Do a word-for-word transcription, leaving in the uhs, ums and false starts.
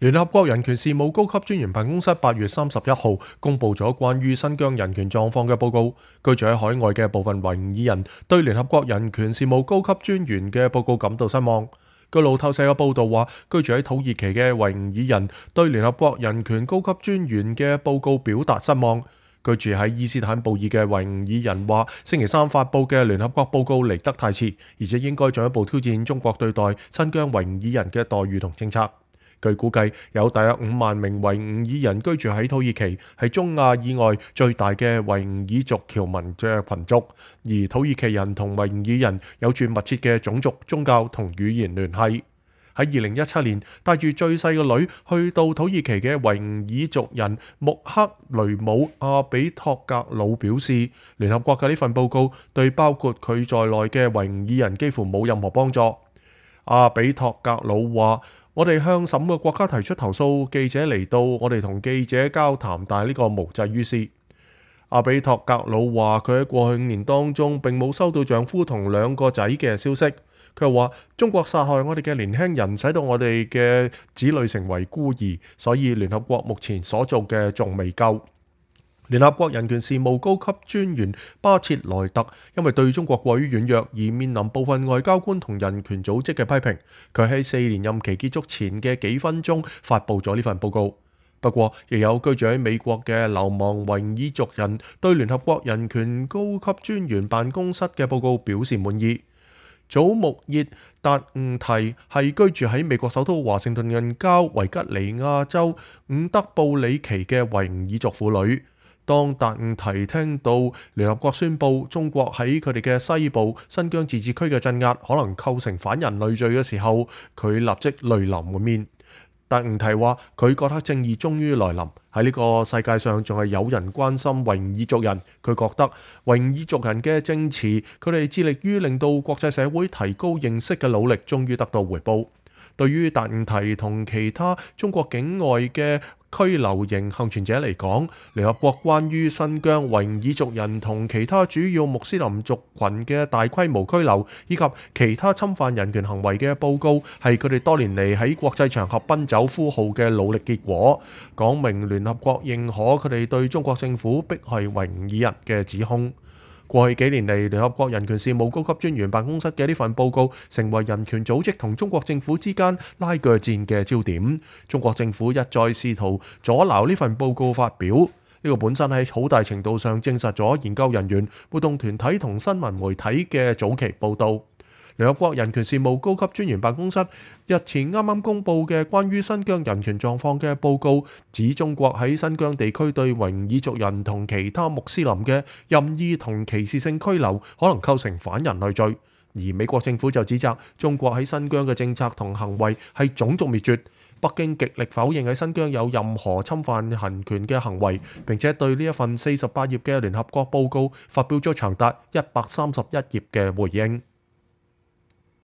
聯合國人權事務高級專員辦公室八月三十一號公佈咗關於新疆人權狀況嘅報告。居住喺海外嘅部分維吾爾人對聯合國人權事務高級專員嘅報告感到失望。據路透社嘅報導話，居住喺土耳其嘅維吾爾人對聯合國人權高級專員嘅報告表達失望。居住喺伊斯坦布爾嘅維吾爾人話，星期三發佈嘅聯合國報告嚟得太遲，而且應該進一步挑戰中國對待新疆維吾爾人嘅待遇同政策。據估計，有大約五萬名維吾爾人居住喺土耳其，係中亞以外最大嘅維吾爾族僑民嘅群族。而土耳其人同維吾爾人有住密切嘅種族、宗教同語言聯繫。喺二零一七年，帶住最細嘅女去到土耳其嘅維吾爾族人穆克雷姆阿比托格魯表示，聯合國嘅呢份報告對包括佢在內嘅維吾爾人幾乎冇任何幫助。阿比托格魯話：我哋向十五個國家提出投訴，記者嚟到，我哋同記者交談，但係呢個無濟於事。阿比托格魯話：佢喺過去五年當中並冇收到丈夫同兩個仔嘅消息。佢又話：中國殺害我哋嘅年輕人，使到我哋嘅子女成為孤兒，所以聯合國目前所做嘅仲未夠。聯合國人權事務高級專員巴切萊特因為對中國過於軟弱而面臨部分外交官同人權組織嘅批評。佢喺四年任期結束前嘅幾分鐘發布咗呢份報告。不過，亦有居住喺美國嘅流亡維吾爾族人對聯合國人權高級專員辦公室嘅報告表示滿意。祖穆熱達吾提係居住喺美國首都華盛頓近郊維吉尼亞州伍德布里奇嘅維吾爾族婦女。當達吾提聽到聯合國宣布中國喺佢哋嘅西部新疆自治區嘅鎮壓可能構成反人類罪嘅時候，佢立即淚流滿面。達吾提話：佢覺得正義終於來臨，喺呢個世界上仲係有人關心維吾爾族人。佢覺得維吾爾族人嘅證詞，佢哋致力於令到國際社會提高認識嘅努力，終於得到回報。對於達吾提同其他中國境外嘅拘留營幸存者嚟講，聯合國關於新疆維吾爾族人同其他主要穆斯林族群嘅大規模拘留以及其他侵犯人權行為嘅報告，係佢哋多年嚟喺國際場合奔走呼號嘅努力結果，講明聯合國認可佢哋對中國政府迫害維吾爾人嘅指控。過去幾年嚟，聯合國人權事務高級專員辦公室嘅呢份報告成為人權組織同中國政府之間拉鋸戰嘅焦點。中國政府一再試圖阻撓呢份報告發表，呢、這個本身喺好大程度上證實咗研究人員、活動團體同新聞媒體嘅早期報導。聯合國人權事務高級專員辦公室日前啱啱公布嘅關於新疆人權狀況嘅報告，指中國喺新疆地區對維吾爾族人同其他穆斯林嘅任意同歧視性拘留，可能構成反人類罪。而美國政府就指責中國喺新疆嘅政策同行為係種族滅絕。北京極力否認喺新疆有任何侵犯人權嘅行為，並且對呢一份四十八頁嘅聯合國報告發表咗長達一百三十一頁嘅回應。